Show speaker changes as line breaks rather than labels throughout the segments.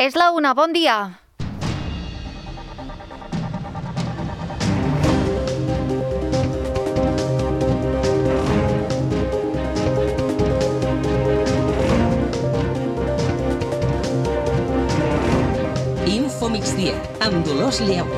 És la una, bon dia.
Info Migdia, amb Dolors Lleó.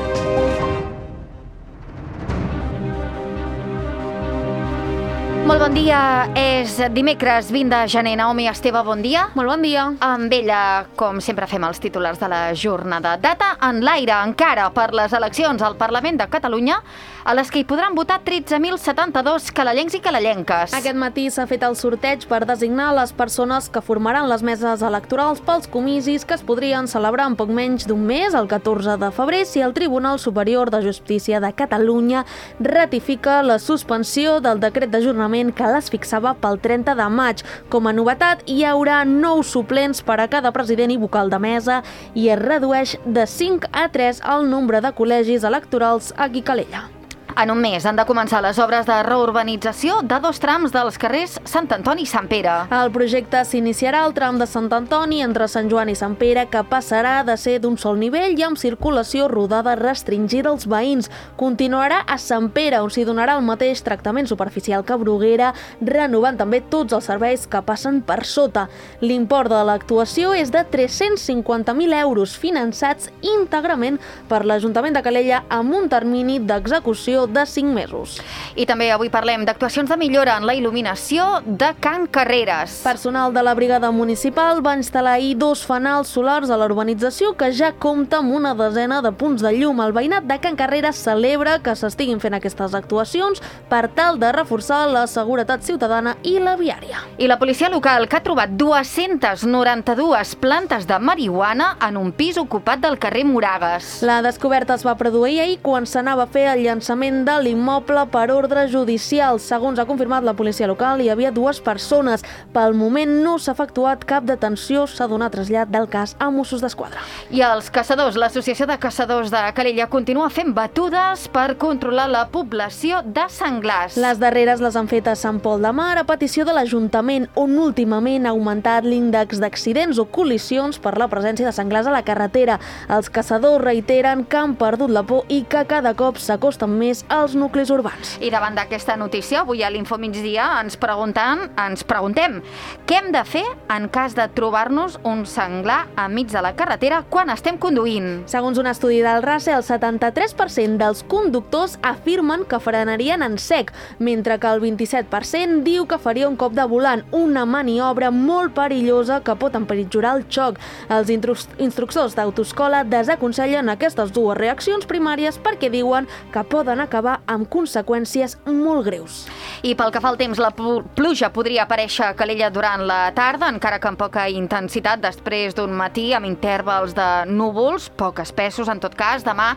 Molt bon dia, és dimecres 20 de gener. Naomi Esteve, bon dia.
Molt bon dia.
Amb ella, com sempre fem els titulars de la jornada. Data en l'aire encara per les eleccions al Parlament de Catalunya, a les que hi podran votar 13.072 calellencs i calellenques.
Aquest matí s'ha fet el sorteig per designar les persones que formaran les meses electorals pels comicis que es podrien celebrar en poc menys d'un mes, el 14 de febrer, si el Tribunal Superior de Justícia de Catalunya ratifica la suspensió del decret d'ajornament que les fixava pel 30 de maig. Com a novetat, hi haurà 9 suplents per a cada president i vocal de mesa i es redueix de 5 a 3 el nombre de col·legis electorals aquí a Calella.
En un mes han de començar les obres de reurbanització de 2 trams dels carrers Sant Antoni i Sant Pere.
El projecte s'iniciarà al tram de Sant Antoni entre Sant Joan i Sant Pere, que passarà de ser d'un sol nivell i amb circulació rodada restringida als veïns. Continuarà a Sant Pere, on s'hi donarà el mateix tractament superficial que Bruguera, renovant també tots els serveis que passen per sota. L'import de l'actuació és de 350.000 euros, finançats íntegrament per l'Ajuntament de Calella amb un termini d'execució de 5 mesos.
I també avui parlem d'actuacions de millora en la il·luminació de Can Carreres.
Personal de la brigada municipal va instal·lar ahir 2 fanals solars a la urbanització que ja compta amb una desena de punts de llum. El veïnat de Can Carreres celebra que s'estiguin fent aquestes actuacions per tal de reforçar la seguretat ciutadana i la viària.
I la policia local, que ha trobat 292 plantes de marihuana en un pis ocupat del carrer Moragues.
La descoberta es va produir ahir quan s'anava a fer el llançament de l'immoble per ordre judicial. Segons ha confirmat la policia local, hi havia 2 persones. Pel moment no s'ha efectuat cap detenció, s'ha donat trasllat del cas a Mossos d'Esquadra.
I els caçadors, l'Associació de Caçadors de Calella continua fent batudes per controlar la població de senglars.
Les darreres les han fet a Sant Pol de Mar a petició de l'Ajuntament, on últimament ha augmentat l'índex d'accidents o col·lisions per la presència de senglars a la carretera. Els caçadors reiteren que han perdut la por i que cada cop s'acosten més als nuclis urbans.
I davant d'aquesta notícia, avui a l'Info Migdia ens preguntem què hem de fer en cas de trobar-nos un senglar enmig de la carretera quan estem conduint.
Segons un estudi del RACE, el 73% dels conductors afirmen que frenarien en sec, mentre que el 27% diu que faria un cop de volant, una maniobra molt perillosa que pot empitjorar el xoc. Els instructors d'autoescola desaconsellen aquestes 2 reaccions primàries perquè diuen que poden acabar amb conseqüències molt greus.
I pel que fa al temps, la pluja podria aparèixer a Calella durant la tarda, encara que amb poca intensitat, després d'un matí amb intervals de núvols, poc espessos en tot cas. Demà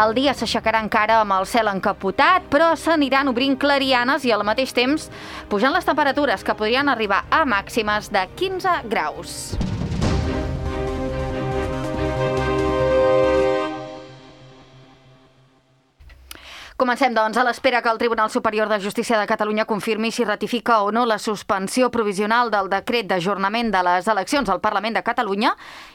el dia s'aixecarà encara amb el cel encapotat, però s'aniran obrint clarianes i al mateix temps pujant les temperatures, que podrien arribar a màximes de 15 graus. Comencem, doncs, a l'espera que el Tribunal Superior de Justícia de Catalunya confirmi si ratifica o no la suspensió provisional del decret d'ajornament de les eleccions al Parlament de Catalunya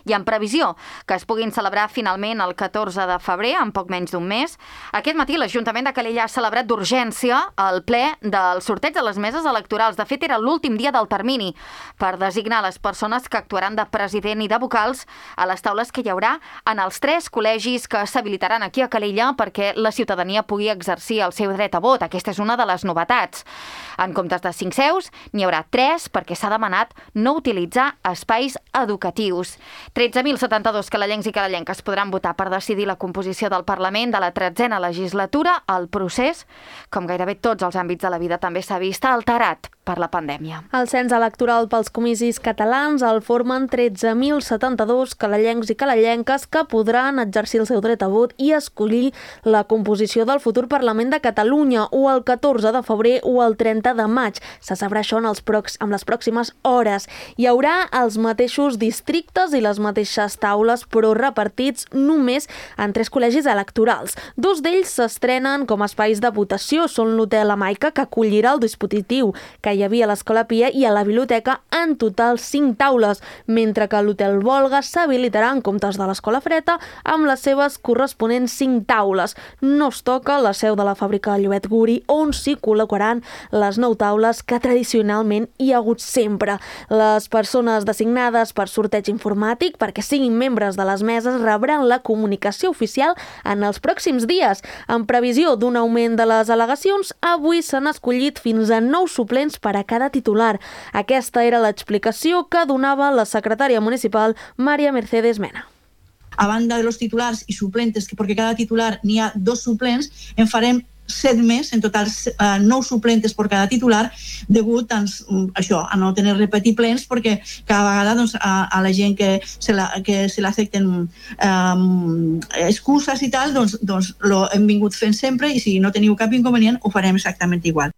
i en previsió que es puguin celebrar finalment el 14 de febrer, en poc menys d'un mes. Aquest matí l'Ajuntament de Calella ha celebrat d'urgència el ple del sorteig de les meses electorals. De fet, era l'últim dia del termini per designar les persones que actuaran de president i de vocals a les taules que hi haurà en els 3 col·legis que s'habilitaran aquí a Calella perquè la ciutadania pugui exercir el seu dret a vot. Aquesta és una de les novetats. En comptes de 5 seus, n'hi haurà 3 perquè s'ha demanat no utilitzar espais educatius. 13.072 calellencs i calellenques podran votar per decidir la composició del Parlament de la 13a legislatura. El procés, com gairebé tots els àmbits de la vida, també s'ha vist alterat per la pandèmia.
El cens electoral pels comicis catalans el formen 13.072 calellencs i calellenques que podran exercir el seu dret a vot i escollir la composició del futur Parlament de Catalunya o el 14 de febrer o el 30 de maig. Se sabrà això en les pròximes hores. Hi haurà els mateixos districtes i les mateixes taules, però repartits només en 3 col·legis electorals. 2 d'ells s'estrenen com a espais de votació. Són l'Hotel Amaica, que acollirà el dispositiu que hi hi havia a l'Escola Pia i a la biblioteca en total 5 taules, mentre que a l'Hotel Volga s'habilitarà en comptes de l'Escola Freta amb les seves corresponents 5 taules. No es toca la seu de la fàbrica Llobet Guri, on s'hi col·locaran les 9 taules que tradicionalment hi ha hagut sempre. Les persones designades per sorteig informàtic perquè siguin membres de les meses rebran la comunicació oficial en els pròxims dies. En previsió d'un augment de les al·legacions, avui s'han escollit fins a 9 suplents per a cada titular. Aquesta era l'explicació que donava la secretària municipal María Mercedes Mena.
A banda de los titulars i suplentes, perquè cada titular n'hi ha 2 suplents, en farem 7 més, en total 9 suplentes per cada titular, degut a no tenir repetir plens, perquè cada vegada a la gent que se l'afecten excuses i tal, doncs ho hem vingut fent sempre, i si no teniu cap inconvenient ho farem exactament igual.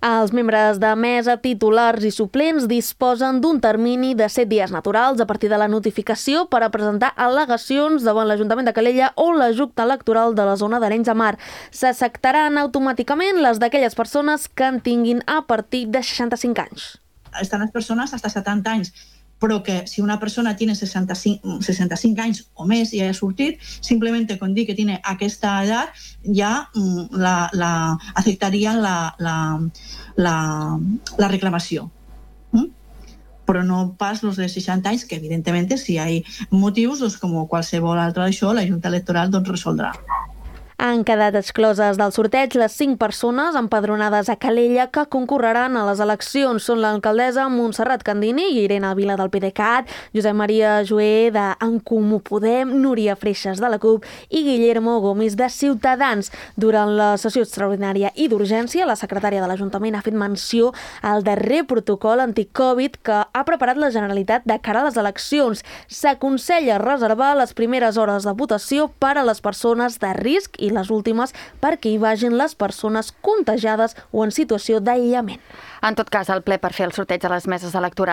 Els membres de mesa, titulars i suplents disposen d'un termini de 7 dies naturals a partir de la notificació per a presentar al·legacions davant l'Ajuntament de Calella o la Junta Electoral de la zona d'Arenys de Mar. S'acceptaran automàticament les d'aquelles persones que en tinguin a partir de 65 anys.
Estan les persones fins a 70 anys, però que si una persona tiene 65 anys o més i ja ha sortit, simplement con dir que tiene aquesta edat ja la aceptarían la reclamació. Però no pas los de 60 anys, que evidentemente si hay motius, com qualsevol altre d'això, la Junta Electoral resoldrà.
Han quedat excloses del sorteig les 5 persones empadronades a Calella que concorreran a les eleccions. Són l'alcaldessa Montserrat Candini i Irene Vila del PDeCAT, Josep Maria Joé d'En Comú Podem, Núria Freixas de la CUP i Guillermo Gomis de Ciutadans. Durant la sessió extraordinària i d'urgència, la secretària de l'Ajuntament ha fet menció al darrer protocol anticovid que ha preparat la Generalitat de cara a les eleccions. S'aconsella reservar les primeres hores de votació per a les persones de risc i les últimes perquè hi vagin les persones contagiades o en situació d'aïllament.
En tot cas, el ple per fer el sorteig de les meses electorals